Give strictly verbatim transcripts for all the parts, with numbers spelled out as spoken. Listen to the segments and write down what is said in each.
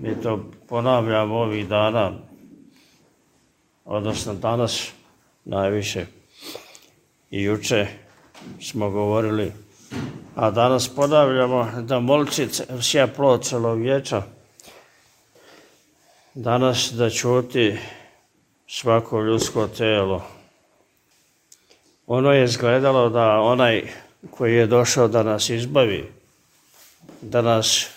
Mi to ponavljamo ovih dana, odnosno danas najviše. I juče smo govorili, a danas ponavljamo da molči sja plod celovječa. Danas da ćuti svako ljudsko telo. Ono je izgledalo da onaj koji je došao da nas izbavi, da nas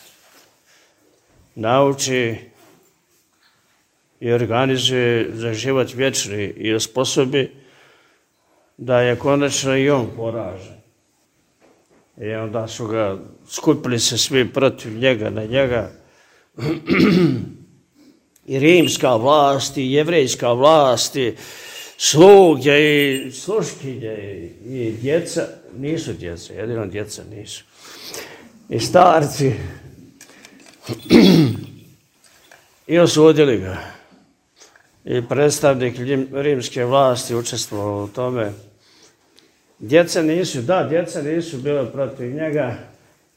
nauči i organizuje za život vječni i osposobi da je konačno i on poražen. I onda su ga, skupili se svi protiv njega, na njega. I rimska vlast, i jevrejska vlast, i sluge, i sluškinje, i djeca, nisu djeca, jedino djeca nisu. I starci. I osudili ga. I predstavnik rimske vlasti učestvovao u tome. Djeca nisu, da, djeca nisu bile protiv njega.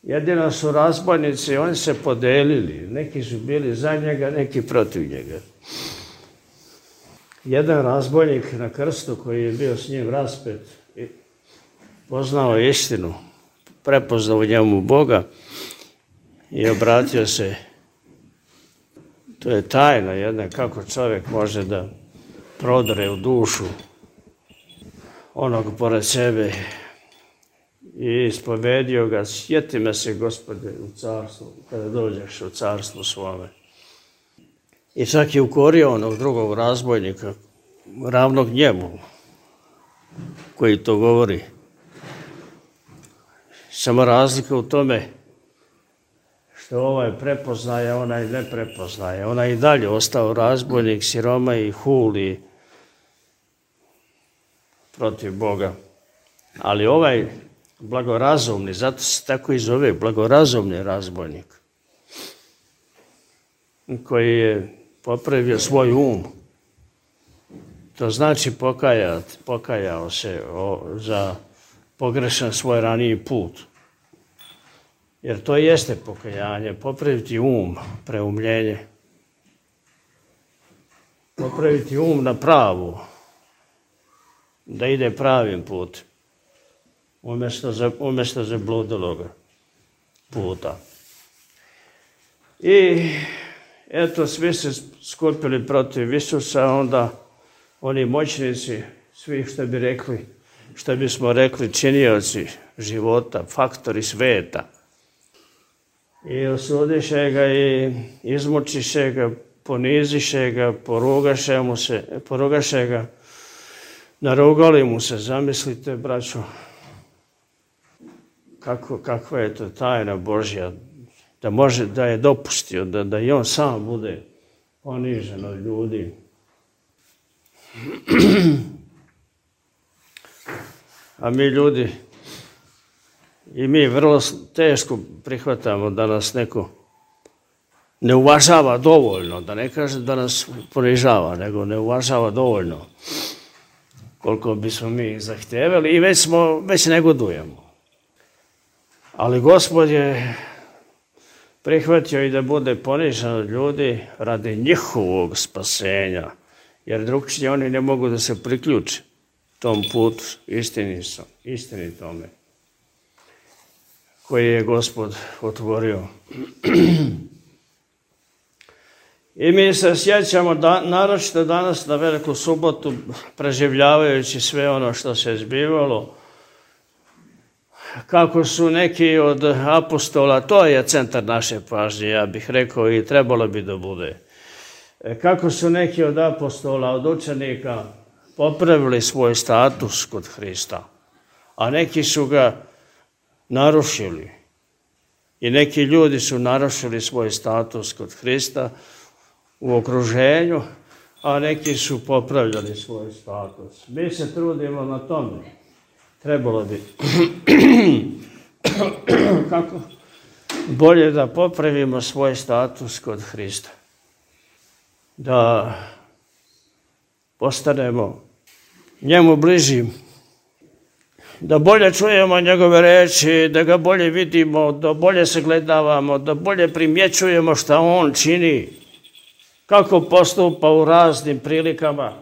Jedino su razbojnici, oni se podelili. Neki su bili za njega, neki protiv njega. Jedan razbojnik na krstu koji je bio s njim raspet, poznao istinu, prepoznao u njemu Boga i obratio se. To je tajna jedna, kako čovjek može da prodre u dušu onog pored sebe i ispovedio ga, sjeti me se, Gospode, u carstvu, kada dođeš u carstvu svome. I čak je ukorio onog drugog razbojnika, ravnog njemu, koji to govori. Samo razlika u tome što ovaj prepoznaje, onaj ne prepoznaje. Onaj i dalje ostao razbojnik, siroma i huli protiv Boga. Ali ovaj blagorazumni, zato se tako i zove, blagorazumni razbojnik, koji je popravio svoj um. To znači pokajat, pokajao se o, za pogrešan svoj raniji put. Jer to jeste pokajanje, popraviti um, preumljenje. Popraviti um na pravu, da ide pravim put, umjesto, za, umjesto zabludeloga puta. I eto, svi se skupili protiv Isusa, onda oni moćnici, svi što bi rekli, što bismo rekli, činioci života, faktori sveta. I osudiše ga i izmučiše ga, poniziše ga, porugaše mu se, porugaše ga, narugali mu se, zamislite, braćo, kako, kakva je to tajna Božja, da može, da je dopustio, da, da i on sam bude ponižen od ljudi. A mi ljudi, i mi vrlo teško prihvatamo da nas neko ne uvažava dovoljno, da ne kaže da nas ponižava, nego ne uvažava dovoljno koliko bismo mi zahtjevali i već smo, već negodujemo. Ali Gospod je prihvatio i da bude ponižen od ljudi radi njihovog spasenja, jer drugčije oni ne mogu da se priključe tom putu istinitome koji je Gospod otvorio. I mi se sjećamo, da, naročito danas na Veliku subotu, preživljavajući sve ono što se zbivalo, kako su neki od apostola, to je centar naše pažnje, ja bih rekao, i trebalo bi da bude. Kako su neki od apostola, od učenika, popravili svoj status kod Hrista, a neki su ga narušili. I neki ljudi su narušili svoj status kod Hrista u okruženju, a neki su popravljali svoj status. Mi se trudimo na tome. Trebalo bi kako bolje da popravimo svoj status kod Hrista. Da postanemo njemu bliži da bolje čujemo njegove reči, da ga bolje vidimo, da bolje sagledavamo, da bolje primjećujemo šta on čini, kako postupa u raznim prilikama.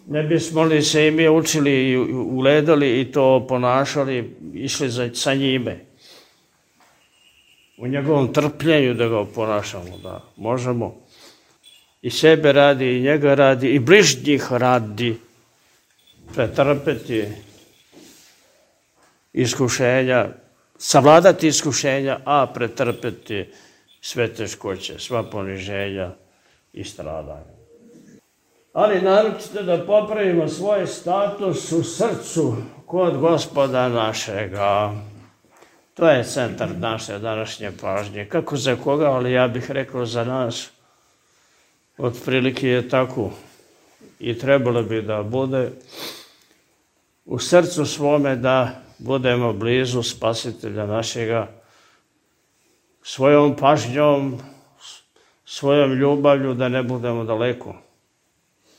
Ne bismo li se i mi učili i ugledali i to ponašali, išli za, sa njime. U njegovom trpljenju da ga ponašamo, da možemo i sebe radi, i njega radi, i bližnjih radi, pretrpeti iskušenja, savladati iskušenja, a pretrpeti sve teškoće, sva poniženja i stradanja. Ali naročito da popravimo svoj status u srcu kod Gospoda našega. To je centar naše današnje pažnje. Kako za koga, ali ja bih rekao za nas. Otprilike je tako i trebalo bi da bude u srcu svome da budemo blizu Spasitelja našega svojom pažnjom, svojom ljubavlju da ne budemo daleko,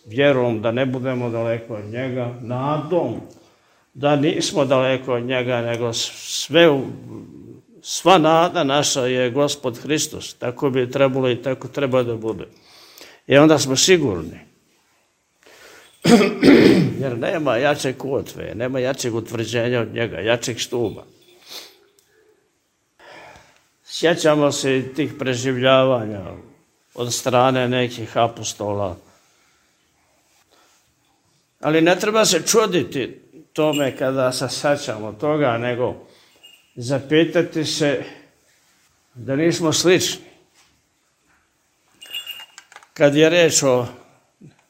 vjerom da ne budemo daleko od njega, nadom da nismo daleko od njega, nego sve, sva nada naša je Gospod Hristos. Tako bi trebalo i tako treba da bude. I onda smo sigurni. Jer nema jače kotve, nema jačeg utvrđenja od njega, jačeg stuba. Sjećamo se i tih preživljavanja od strane nekih apostola. Ali ne treba se čuditi tome kada se sjećamo toga, nego zapitati se da nismo slični. Kad je reč o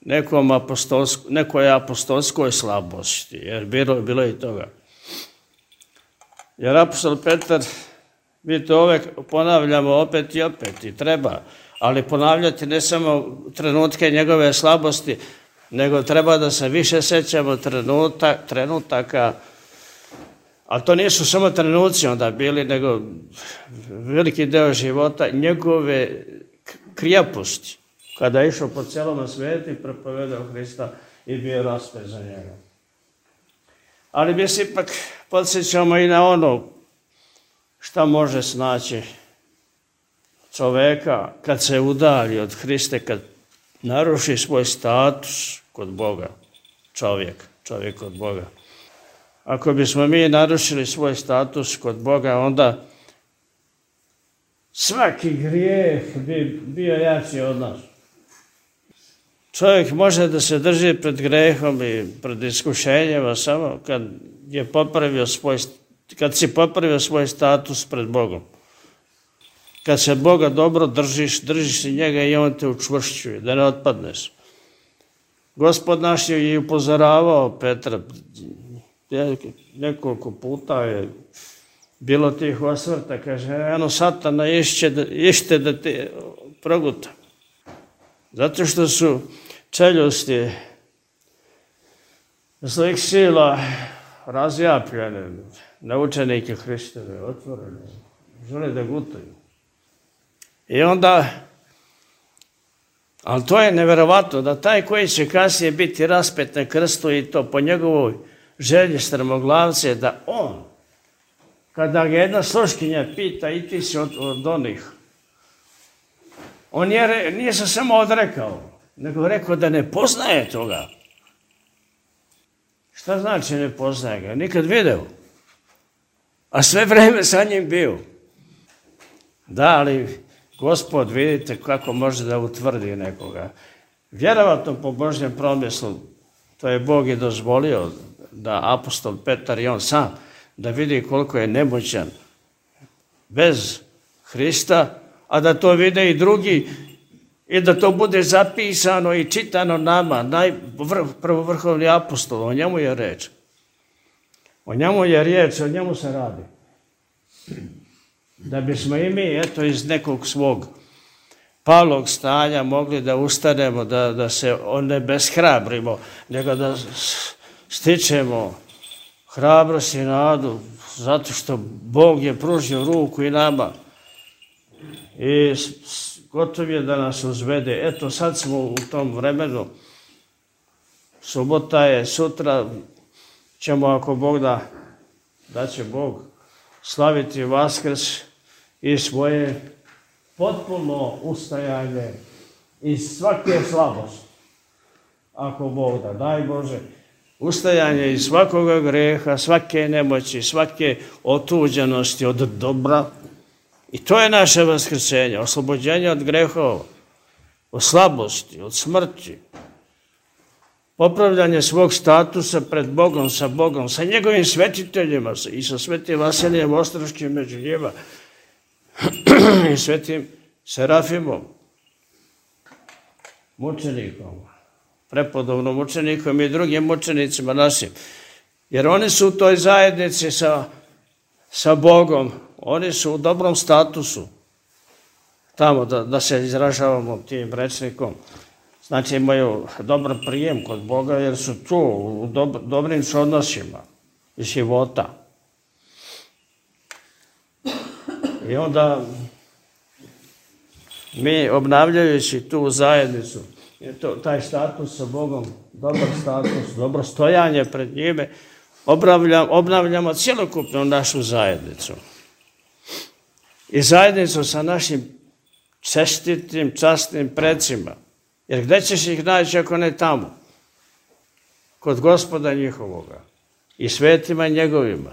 nekom apostolsko, nekoj apostolskoj slabosti, jer bilo je bilo i toga. Jer apostol Petar, mi to uvek ponavljamo opet i opet i treba, ali ponavljati ne samo trenutke njegove slabosti, nego treba da se više sećamo trenutak, trenutaka, ali to nisu samo trenuci onda bili, nego veliki deo života njegove krijaposti. Kada je išao po celom svijetu i propovedao Hrista i bio raspet za njega. Ali mi se ipak podsjećamo i na ono šta može snaći čoveka kad se udalji od Hriste, kad naruši svoj status kod Boga, čovjek, čovjek kod Boga. Ako bismo mi narušili svoj status kod Boga, onda svaki grijeh bi bio jači od nas. Čovjek može da se drži pred grehom i pred iskušenjima samo kad je popravio svoj, kad si popravio svoj status pred Bogom. Kad se Boga dobro držiš, držiš i njega i on te učvršćuje, da ne otpadneš. Gospod naš je i upozoravao Petra, nekoliko puta je bilo tih osvrta, kaže, eno satana išće da, ište da te proguta. Zato što su čeljusti zlih sila razjapljene, na učenike Hristove, otvorene, žele da gutaju. I onda, ali to je neverovatno, da taj koji će kasnije biti raspet na krstu i to po njegovoj želji strmoglavce, da on, kada ga jedna sluškinja pita i ti si od, od onih, on je, nije se samo odrekao, nego rekao da ne poznaje toga. Šta znači ne poznaje ga? Nikad video. A sve vreme sa njim bio. Da, ali Gospod, vidite kako može da utvrdi nekoga. Vjerovatno po Božjem promislu, to je Bog i dozvolio da apostol Petar i on sam, da vidi koliko je nemoćan bez Hrista, a da to vide i drugi i da to bude zapisano i čitano nama, najprvovrhovni apostol, o njemu je reč. O njemu je riječ, o njemu se radi. Da bismo i mi, eto, iz nekog svog palog stanja mogli da ustanemo, da, da se ne beshrabrimo, nego da stičemo hrabrost i nadu, zato što Bog je pružio ruku i nama. I gotov je da nas uzvede. Eto, sad smo u tom vremenu, subota je, sutra ćemo, ako Bog da, da će Bog slaviti Vaskrs i svoje potpuno ustajanje iz svake slabosti. Ako Bog da, daj Bože, ustajanje iz svakoga greha, svake nemoći, svake otuđenosti od dobra. I to je naše vaskrsenje, oslobođenje od grehova, od slabosti, od smrti. Popravljanje svog statusa pred Bogom, sa Bogom, sa njegovim svetiteljima i sa svetim Vasilijem Ostroškim među njima i svetim Serafimom, mučenikom, prepodobnom mučenikom i drugim mučenicima našim. Jer oni su u toj zajednici sa, sa Bogom, oni su u dobrom statusu, tamo da, da se izražavamo tim rečnikom. Znači imaju dobar prijem kod Boga jer su tu u dob, dobrim odnosima iz života. I onda mi obnavljajući tu zajednicu, to, taj status sa Bogom, dobar status, dobro stojanje pred njime, obnavljamo, obnavljamo cjelokupnu našu zajednicu. I zajednicu sa našim čestitim, časnim precima. Jer gdje ćeš ih naći ako ne tamo? Kod Gospoda njihovoga i svetima njegovima.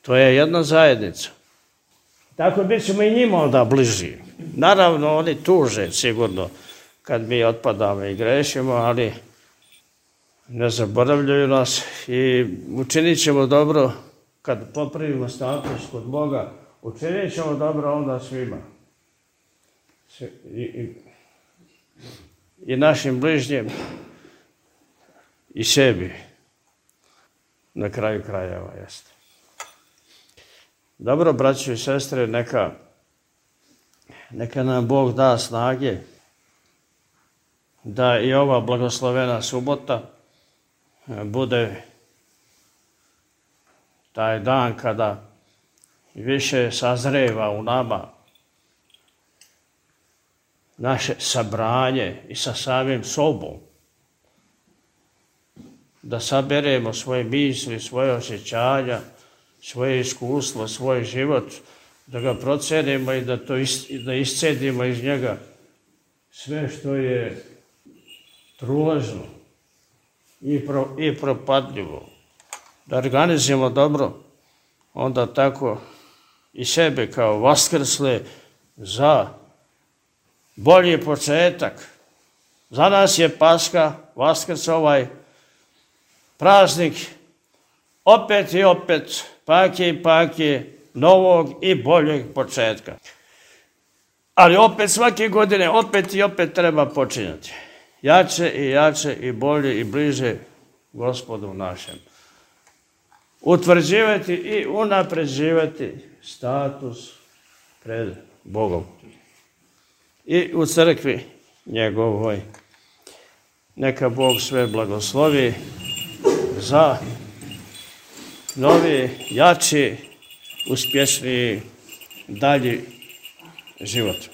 To je jedna zajednica. Tako bit ćemo i njima onda bliži. Naravno, oni tuže sigurno kad mi otpadamo i grešimo, ali ne zaboravljaju nas i učinit ćemo dobro kad popravimo status kod Boga. Učinit ćemo dobro onda svima. I, i, i našim bližnjim i sebi. Na kraju krajeva jeste. Dobro, braćo i sestre, neka, neka nam Bog da snage da i ova blagoslovena subota bude taj dan kada više sazreva u nama naše sabranje i sa samim sobom. Da saberemo svoje misli, svoje osjećanja, svoje iskustvo, svoj život, da ga procenimo i da to is, da iscedimo iz njega sve što je truležno i, pro, i propadljivo. Da organizujemo dobro, onda tako i sebe kao vaskrsle za bolji početak. Za nas je Paska, Vaskrs, ovaj praznik, opet i opet, pake i pake, novog i boljeg početka. Ali opet svake godine, opet i opet treba počinjati. Jače i jače i bolje i bliže Gospodu našem. Utvrđivati i unapređivati status pred Bogom. I u crkvi njegovoj. Neka Bog sve blagoslovi za novi, jači, uspješniji, dalji život.